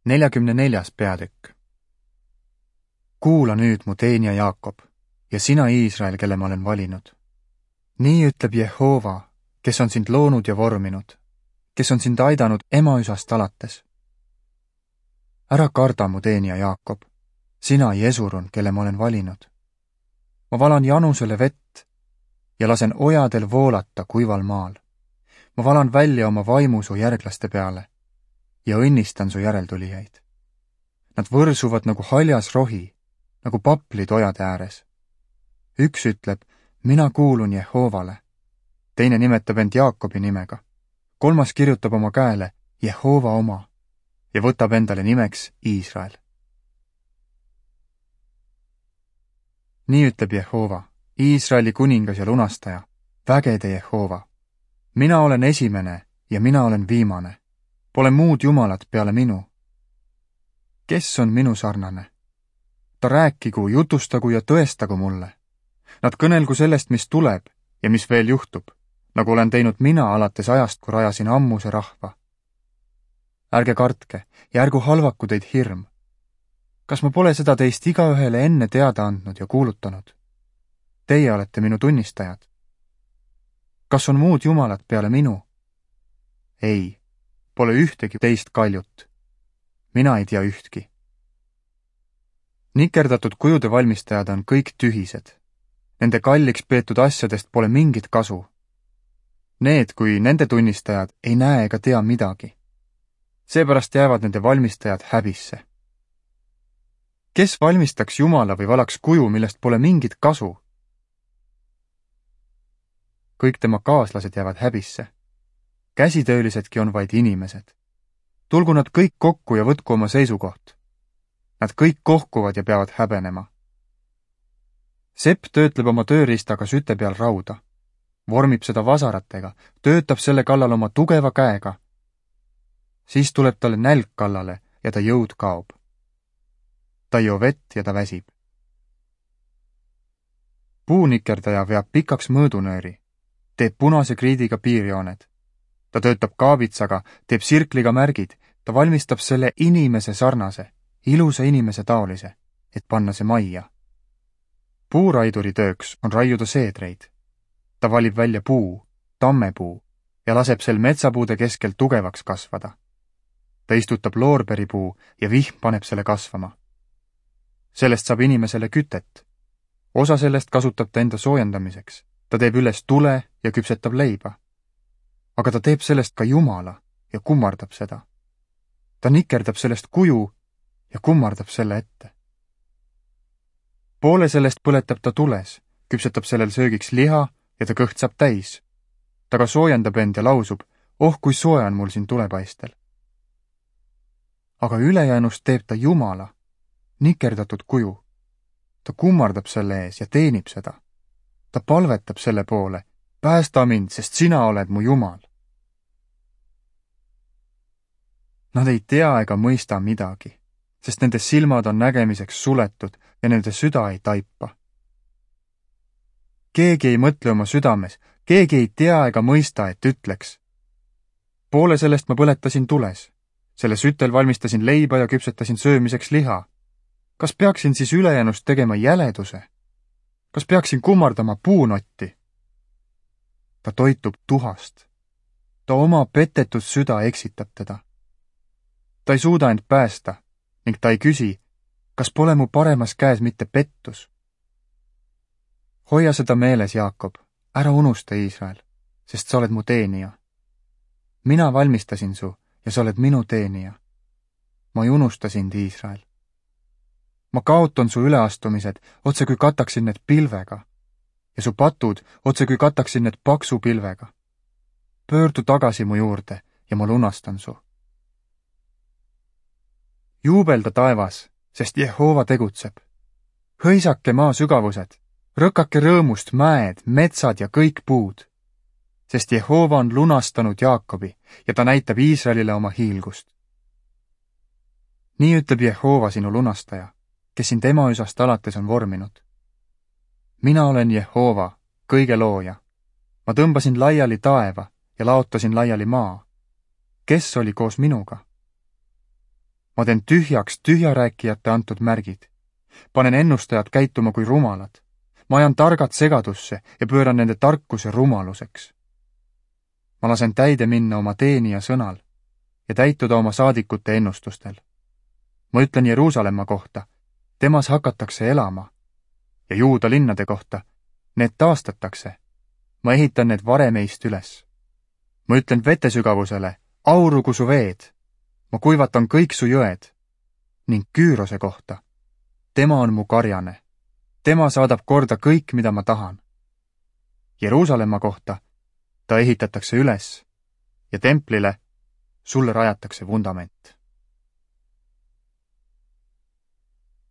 44. peatükk. Kuula nüüd mu teenija Jaakob ja sina Iisrael, kelle ma olen valinud. Nii ütleb Jehova, kes on sind loonud ja vorminud, kes on sind aidanud emaüsast alates. Ära karda mu teenija Jaakob, sina Jesurun, kelle ma olen valinud. Ma valan janusele vett ja lasen ojadel voolata kuival maal. Ma valan välja oma vaimu su järglaste peale ja õnnistan su järeltulijaid. Nad võrsuvad nagu haljas rohi, nagu paplid ojade ääres. Üks ütleb, mina kuulun Jehovale. Teine nimetab end Jaakobi nimega. Kolmas kirjutab oma käele Jehova oma ja võtab endale nimeks Iisrael. Nii ütleb Jehova, Iisraeli kuningas ja lunastaja, vägede Jehova. Mina olen esimene ja mina olen viimane. Pole muud jumalat peale minu. Kes on minu sarnane? Ta rääkigu, jutustagu ja tõestagu mulle. Nad kõnelgu sellest, mis tuleb ja mis veel juhtub, nagu olen teinud mina alates ajast, kui rajasin ammuse rahva. Ärge kartke ja ärgu halvaku teid hirm. Kas ma pole seda teist igaühele enne teada andnud ja kuulutanud? Teie olete minu tunnistajad. Kas on muud jumalat peale minu? Ei, pole ühtegi teist kaljut. Mina ei tea ühtki. Nikerdatud kujude valmistajad on kõik tühised. Nende kalliks peetud asjadest pole mingit kasu. Need, kui nende tunnistajad, ei näe ega tea midagi. Seepärast jäävad nende valmistajad häbisse. Kes valmistaks Jumala või valaks kuju, millest pole mingit kasu? Kõik tema kaaslased jäävad häbisse. Käsitöölisedki on vaid inimesed. Tulgu nad kõik kokku ja võtku oma seisukoht. Nad kõik kohkuvad ja peavad häbenema. Sepp töötleb oma tööriistaga süte peal rauda, vormib seda vasaratega, töötab selle kallal oma tugeva käega. Siis tuleb talle nälg kallale ja ta jõud kaob. Ta ei joo vett ja ta väsib. Puunikerdaja veab pikaks mõõdunööri, teeb punase kriidiga piirjooned. Ta töötab kaabitsaga, teeb sirkliga märgid, ta valmistab selle inimese sarnase, ilusa inimese taolise, et panna see majja. Puuraiduri tööks on raiuda seedreid. Ta valib välja puu, tammepuu, ja laseb sel metsapuude keskel tugevaks kasvada. Ta istutab loorberipuu ja vihm paneb selle kasvama. Sellest saab inimesele kütet. Osa sellest kasutab ta enda soojendamiseks. Ta teeb üles tule ja küpsetab leiba. Aga ta teeb sellest ka Jumala ja kummardab seda. Ta nikerdab sellest kuju ja kummardab selle ette. Poole sellest põletab ta tules, küpsetab sellel söögiks liha ja ta kõht saab täis. Ta ka soojendab end ja lausub, oh kui soe on mul siin tulepaistel. Aga ülejäänust teeb ta Jumala, nikerdatud kuju. Ta kummardab selle ees ja teenib seda. Ta palvetab selle poole, päästa mind, sest sina oled mu Jumal. Nad ei tea ega mõista midagi, sest nende silmad on nägemiseks suletud ja nende süda ei taipa. Keegi ei mõtle oma südames, keegi ei tea ega mõista, et ütleks. Poole sellest ma põletasin tules. Selle sütel valmistasin leiba ja küpsetasin söömiseks liha. Kas peaksin siis ülejäänust tegema jäleduse? Kas peaksin kummardama puunotti? Ta toitub tuhast. Ta oma petetud süda eksitab teda. Ta ei suuda end päästa ning ta ei küsi, kas pole mu paremas käes mitte pettus. Hoia seda meeles, Jaakob, ära unusta Iisrael, sest sa oled mu teenija. Mina valmistasin su ja sa oled minu teenija. Ma ei unusta sind, Iisrael. Ma kaotan su üleastumised, otse kui kataksin need pilvega, ja su patud, otse kui kataksin need paksu pilvega. Pöördu tagasi mu juurde ja ma lunastan su. Juubelda taevas, sest Jehova tegutseb. Hõisake maa sügavused, rõkake rõõmust mäed, metsad ja kõik puud, sest Jehova on lunastanud Jaakobi ja ta näitab Iisraelile oma hiilgust. Nii ütleb Jehova sinu lunastaja, kes sind emaüsast alates on vorminud. Mina olen Jehova, kõige looja. Ma tõmbasin laiali taeva ja laotasin laiali maa. Kes oli koos minuga? ma teen tühjaks tühjarääkijate antud märgid. Panen ennustajad käituma kui rumalad. Ma ajan targad segadusse ja pööran nende tarkuse rumaluseks. Ma lasen täide minna oma teenija sõnal ja täituda oma saadikute ennustustel. Ma ütlen Jeruusalemma kohta, temas hakatakse elama, ja Juuda linnade kohta, need taastatakse. Ma ehitan need varemeist üles. Ma ütlen vetesügavusele, aurugu su veed. Ma kuivatan kõik su jõed. Ning Küürose kohta, tema on mu karjane. Tema saadab korda kõik, mida ma tahan. Jeruusalemma kohta, ta ehitatakse üles ja templile sulle rajatakse vundament.